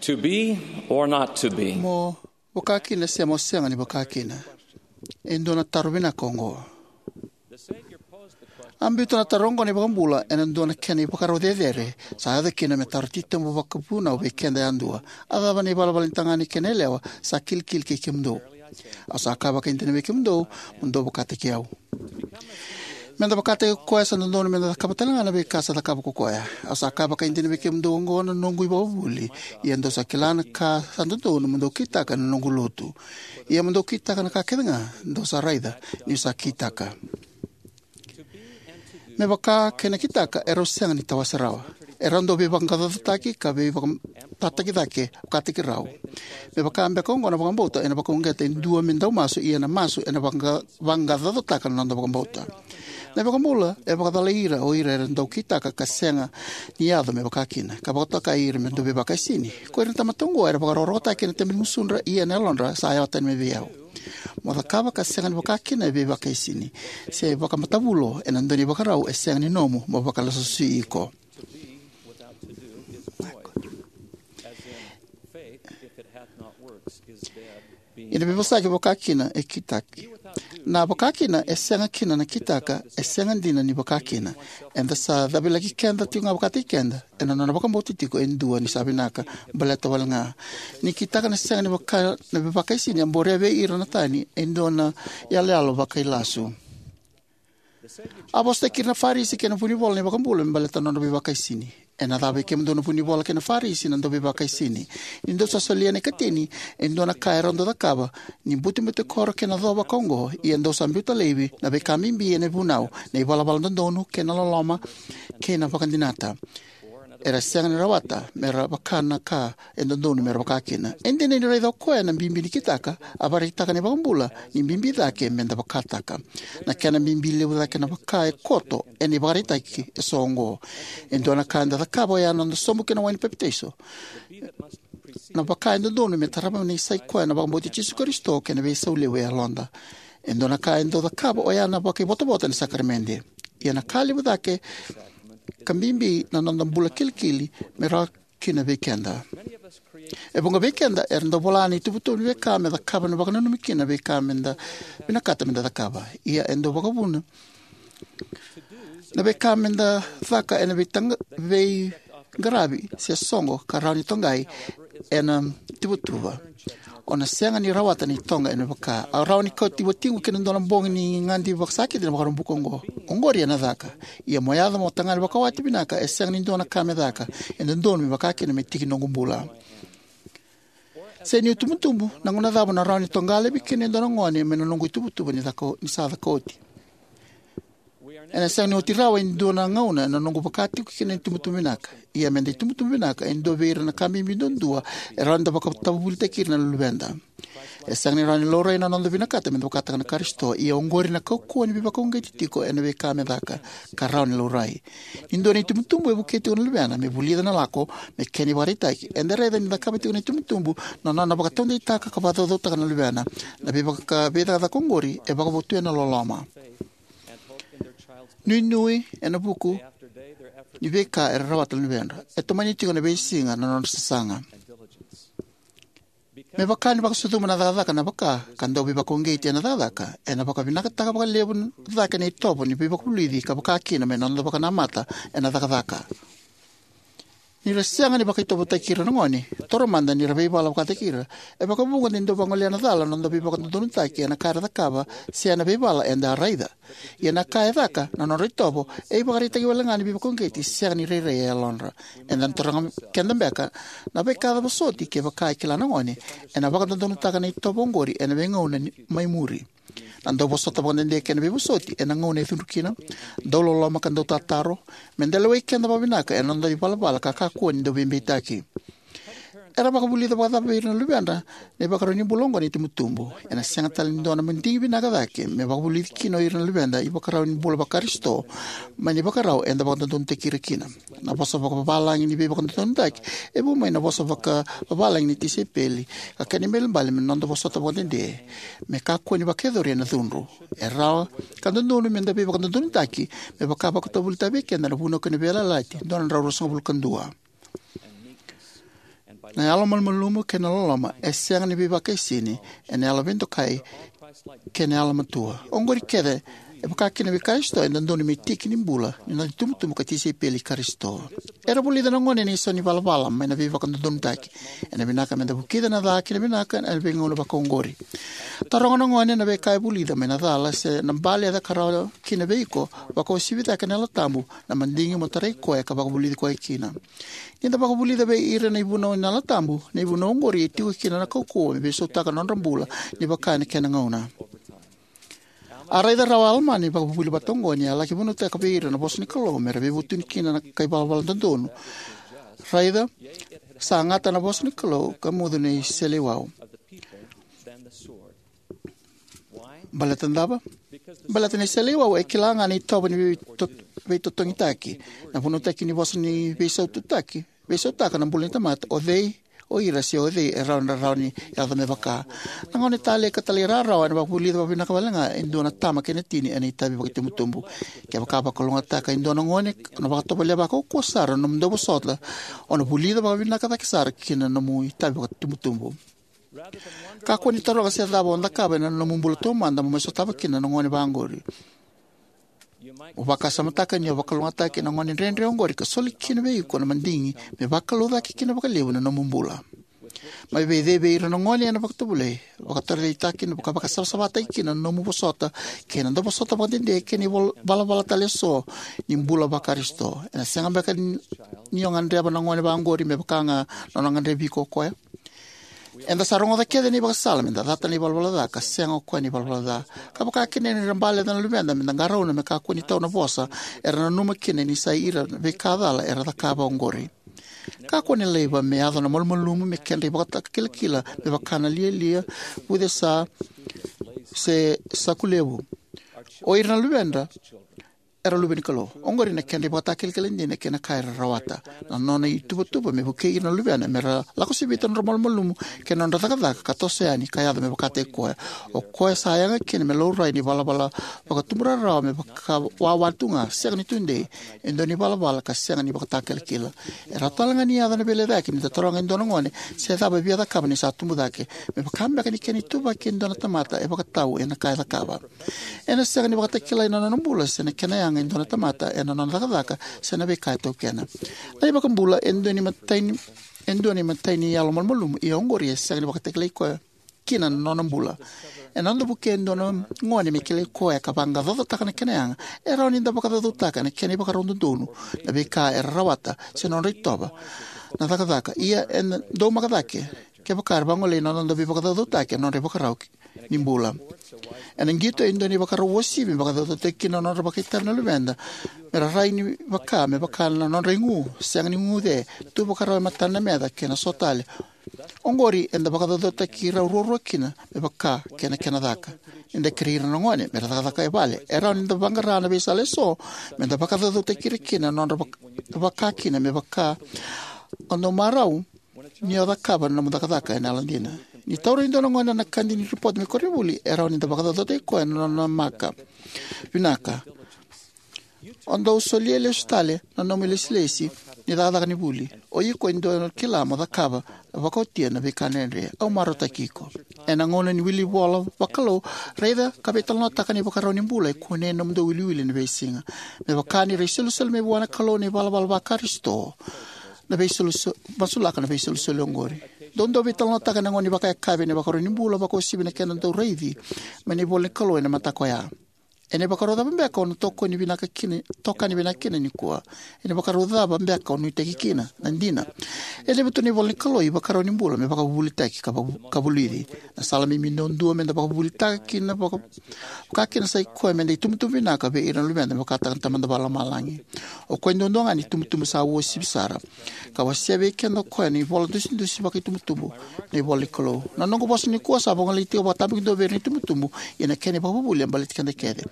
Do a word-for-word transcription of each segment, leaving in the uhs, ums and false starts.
To be or not to be? Mo vakakina se mo sega ni vakakina? E dua na taro vinaka oqo. A biuta na taro oqo na iVakabula ena dua na kena ivakarau cecere, sa yaco kina me taro titobu vakavunau vei keda yadua: A cava na ivalavala ni tagane kei na yalewa sa kilikili kei kemudou? Au sa kaya vakaidina vei kemudou, mo dou vakataki au. Meda vakataki koya, sa dodonu meda cakava talega na veika sa cakava ko koya. Au sa kaya vakaidina vei kemudou, oqo na noqu ivakavuvuli, ia dou sa kila na ka sa dodonu mo dou kitaka ena noqu lotu. Ia mo dou kitaka na ka kecega dou sa raica niu sa kitaka. Me vaka kei na kitaka, erau sega ni tawase rawa. Erau dau veivaqaqacotaki ka veivakatataki cake vakataki rau. Me vaka beka oqo na vakabauta ena vakauqeta e dua me dau masu, ia na masu ena vaqa-, vaqaqacotaka na noda vakabauta. Na iVakabula e vakacalai ira o ira era dau kitaka ka sega ni yaco me vakakina, ka vakatokai ira me dau veivakaisini. Ko ira na tamata oqo era vakarokorokotaki ena tebe ni gusudra, ia na yalodra sa yawa tani mai vei au. Mo cakava ka sega ni vakakina e veivakaisini, se vakamatavulo ena dua na ivakarau e sega ni nomu mo vakalasusui iko. Ena veivosaki, vakakina e kitaki. Na vakakina e sega kina na kitaka e sega dina ni vakakina. Eda sa cavilaki keda tiko ga vakataki keda ena nona vakabauta tiko e dua ni sa vinaka baleta wale ga. Ni kitaka na sega ni vaka, na veivakaisini a borea vei ira na tani e dua na iyaloyalo vakailasu. A vosataki ira na Farisi kei na vunivola na iVakabula me baleta na nodra veivakaisini. Ena cava vei kemudou na vunivola kei na Farisi, na dauveivakaisini? Ni dou sa solia na ikatini e dua na ka erau dau cakava, ni butebutekoro kei na co vaka oqo, ia dou sa biuta laivi na veika bibi ena vunau, na ivalavala dodonu kei na loloma kei na vakadinata. Era sega ni rawata mera vaka na ka e dodonu mera vakakina. E dina ni raica o koya na bibi ni kitaka, a vakaraitaka na iVakabula ni bibi cake meda vakataka. Na kena bibi levu cake na vaka e koto ena ivakaraitaki eso oqo. E dua na ka eda cakava oya na noda sobu ki na wai ni papitaiso. Na vaka e dodonu me tarava na isai koya na vakabauti Jisu Karisito kei na veisau levu e yaloda. E dua na ka e dau cakava oya na vakaivotavota ni sakaramede. Ia na ka levu cake ka bibi na noda bula kilikili me rawa kina vei keda. E vuqa vei keda era dau vola na ituvatuva ni veika me cakava, na vakananumi kina na veika meda vinakata meda cakava. Ia e dau vakavuna na veika meda caka ena veitaqara, veiqaravi se soqo ka rawa ni toqai ena ituvatuva. O na sega ni rawata na itoqa ena vaka. Au rawa ni kauti watiqu ki na dua na bogi ni gadi vakasakiti na Vakaraubuka oqo. Oqori ena caka. Ia mo yaco mo tagane vakawati vinaka, e sega ni dua na ka me caka. E dodonu me vakakina me tiki noqu bula. Se niu tubutubu, na gauna cava na rawa ni toqa laivi kina e dua na gone mai na noqu ituvatuva ni caka, ni sa caka oti? Ena sega ni oti rawa e dua na gauna ena noqu vaka tiko kina na itubutubu vinaka. Ia meda itubutubu vinaka, e dua vei ira na ka bibi duadua e rawa ni da vakatavuvulitaki ira na luveda. E sega ni rawa ni laurai na noda vinakata meda vakataka na Karisito, ia oqori na kaukauwa ni veivakauqeti tiko ena veika me caka, ka rawa ni laurai. Ni dua na itubutubu e vukei tiko na luvena me vulica na lako me kena ivakaraitaki, eda raica ni cakava tiko na itubutubu na nona vakataudeitaka ka vakacaucautaka na luvena. Na veivaka-, veicakacaka oqori e vakavotuya na loloma. Nuinui ena vuku ni veika era rawata na luvedra. E tomani tiko ena veisiga na nodra sasaga. Me vaka ni vakasucuma na cakacaka na vaka ka dau veivakauqeti ena cakacaka, ena vakavinakataka vakalevu cake na itovo ni veivakavulici ka vaka kina mai na noda vakanamata ena cakacaka. Ni ra sega ni vakaitovotaki ira na gone, taura mada ni ra veivala vakataki ira. E vakavuqa ni dau vagolea na cala na noda veivakadodonutaki ena ka era cakava se ena veivala eda a raica. Ia na ka e caka na nodra itovo e ivakaraitaki wale ga ni veivakauqeti sega ni rairai e yalodra. Eda na taroga keda beka, na veika cava soti kevaka e kila na gone ena vakadodonutaka na itovo oqori ena veigauna ni mai muri? Na dau vosota vakadede kei na veivosoti ena gauna e cudru kina, dau loloma ka dau tataro, meda lewai keda vakavinaka ena noda ivalavala ka kakua ni dau veibeitaki. Era vakavulica vakacava vei ira na luvedra na ivakarau ni bula oqo na itubutubu? Ena sega tale ni dua na madigi vinaka cake me vakavulici kina o ira na luveda ivakarau ni bula vaKarisito mai na ivakarau eda vakadodonutaki ira kina. Na vosa vakavalagi ni veivakadodonutaki e vu mai na vosa vakavavalagi ni tisaipeli, ka kena ibalebale me noda vosota vakadede me kakua ni vakayacori ena cudru. E rawa ka dodonu meda veivakadodonutaki me vaka vakatavuvulitaka vei keda na Vunau kei na Veiyalayalati dua na drau ruasagavulu ka dua. Na yalomalumalumu kei na loloma e sega ni veivakaisini ena yalo veidokai kei na yalomatua. Oqori kece e vaka kina vei Karisito e dodonu me tiki ni bula ni noda itubutubu ka tisaipeli i Karisito. Era vulica na gone na isau ni valavala mai na veivakadodonutaki. Ena vinaka meda vukica na ca kei na vinaka ena veigauna vakaoqori. Taroga na gone na veika e vulica mai na cala se na bale e caka rawa kina vei iko, vakauasivi cake na Yalo Tabu na madigi mo tarai koya ka vakavulici koya kina. Ni da vakavulica vei ira na ivunau ni Yalo Tabu, na ivunau oqori e tiko kina na kaukauwa me veisautaka na nodra bula ni vaka ena kena gauna. A raica rawa o Alama na ivakavuvuli vata oqo ni a laki vunautaka vei ira na vosa ni Kalou me ra veivutuni kina na kai valavala dodonu. Raica, sa gata na vosa ni Kalou ka mucu na iseleiwau. Baleta na cava? Baleta na iseleiwau e kila ga na itovo ni veito-, veitotogitaki. Na vunautaki ni vosa ni veisaututaki, veisautaka na bula ni tamata, o cei o ira se o cei e rawa ni ra rawa ni yaco me vaka. Na gone talei ka talairawarawa ena vakavulica vakavinaka wale ga e dua na tama kei na tini ena itavi vakaitubutubu. Kevaka vakalougatataka e dua na gone, o na vakatovolea vakaukauwa sara na nomu dauvosota, o na vulica vakavinaka cake sara kina na nomu itavi vakaitubutubu. Kakua ni taroga se cava o cakava ena nomu bula taumada mo mai sotava kina na gone vaqori. Mo vakasamataka ni o vakalougatataki ena gone dredre oqori ka soli kina vei iko na madigi me vakalougatataki kina vakalevu na nomu bula. Mai vei cei vei ira na gone ena vakatovolei, vakataraitaki kina, vaka vakasavasavataki kina na nomu vosota kei na dauvosota vakadede kei na ival-, valavala tale eso ni bula vaKarisito. Ena sega beka ni, ni o gadreva na gone vaqori me vaka ga na nona gadrevi iko o koya? Eda sa rogoca kece na ivakasala meda cata na ivalavala ca ka sega o koya na ivalavala ca. Ka vaka kina ni ra bale na luveda meda qarauna me kakua ni tau na vosa era nanuma kina ni sa ira na veika cala era cakava oqori. Kakua ni laiva me yaco na malumalumu me kedra ivakatakilakila me vaka na lialia, vucesa, se saku levu. O ira na luveda era luve ni Kalou. Oqori na kedra ivakatakilakila dina kei na ka era rawata. Na nona ituvatuva me vukei ira na luvena me ra lako sivita na nodra malumalumu kei na nodra cakacaka ka toso yani ka yaco me vakataki koya. O koya sa yaga kina me laurai ni valavala vakatubu rarawa me vakawawa tu ga, sega ni tudei, e dua ni valavala ka sega ni vakatakilakila. E rawa tale ga ni yaco na veilecayaki ni da taroga e dua na gone se cava e via cakava ni sa tubu cake, me vaka beka ni kena ituvaki e dua na tamata e vakatau ena ka e cakava. Ena sega ni vakatakilai na nona bula se na kena yaga e dua na tamata ena nona cakacaka se na veika e taukena. Na iVakabula e dua ni matai ni, e dua ni matai ni yalo malumalumu, ia oqori e sega ni vakatakilai koya kina na nona bula. Ena noda vukei e dua na gone me kilai koya ka vaqaqacotaka na kena yaga, e rawa ni da vakacaucautaka na kena ivakarau dodonu na veika era rawata se nodra itovo na cakacaka. Ia ena daumaka cake kevaka era vagolei na noda veivakacaucautaki ena nodra ivakarau ni bula. Ena qito e dua na ivakarau uasivi me vakacaucautaki kina na nodra vakaitavi na luveda me ra rai ni vaka, me vaka na nodra igu, sega ni guguce, tu vakarau e matana na meca kei na so tale. Oqori eda vakacaucautaki rau ruarua kina me vaka kei na kena caka. Ni da kerei ira na gone me ra cakacaka e vale, e rawa ni da vaqara na veisala eso me da vakacaucautaki ira kina na nodra vak-, vaka kina me vaka o dau marau ni o cakava na nomu cakacaka ena yalodina. Ni taura e dua na gone na kadi ni ripote mai koronivuli, e rawa ni da vakacaucautaki koya na nona maka vinaka. O dau solia lesu tale na nomu ilesilesi ni cakacaka ni vuli. O iko e dau kila mo cakava vakaotia na veika dredre. Au marautaki iko. Ena gauna ni wili vola vakalou, raica ka veitalanoataka na ivakarau ni bula e kunei ena nomudou wiliwili ena veisiga. Me vaka ni ra isolisoli mai vua na Kalou na ivalavala vaKarisito, na veisolisoli, masulaka na veisolisoli oqori. Dou dau veitalanoataka ena gauna ni vakayakavi ena ivakarau ni bula, vakauasivi na kena dau raici mai na ivola ni Kalou ena mataka oya. Ena ivakarau cava beka o na tokoni vinaka kina, tokani vinaka kina nikua? Ena ivakarau cava beka o nuitaki kina? Na dina, e levu tu na ivola ni Kalou, ivakarau ni bula me vakavuvulitaki ka vavu-, ka vulici. Na sala bibi duadua meda vakavuvulitaka kina vaka, vaka kina sa i koya meda itubutubu vinaka vei ira na luveda me vakataka na Tamada Vakalomalagi. O koya duadua ga na itubutubu sa uasivi sara. Ka wasea vei keda o koya na ivola dusidusi vakaitubutubu, na ivola ni Kalou. Na noqu vosa nikua sa vagolei tiko vakatabakidua vei ira na itubutubu, ia na kena ivakavuvuli e baleti keda kece.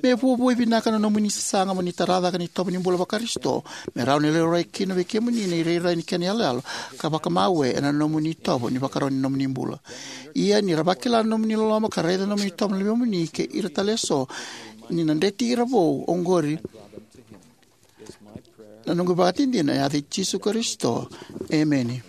Me vuavuai vinaka na nomuni sasaga mo ni tara cake na itovo ni bula vaKarisito, me rawa ni laurai kina vei kemuni na irairai ni kena iyaloyalo ka vakamawe ena nomuni itovo ni vakarau ni nomuni bula. Ia ni ra vakila na nomuni loloma ka raica na nomuni itovo na luvemuni kei ira tale eso, ni na dreti ira vou oqori. Na noqu ivakadinadina ena yaca i Jisu Karisito. Emeni.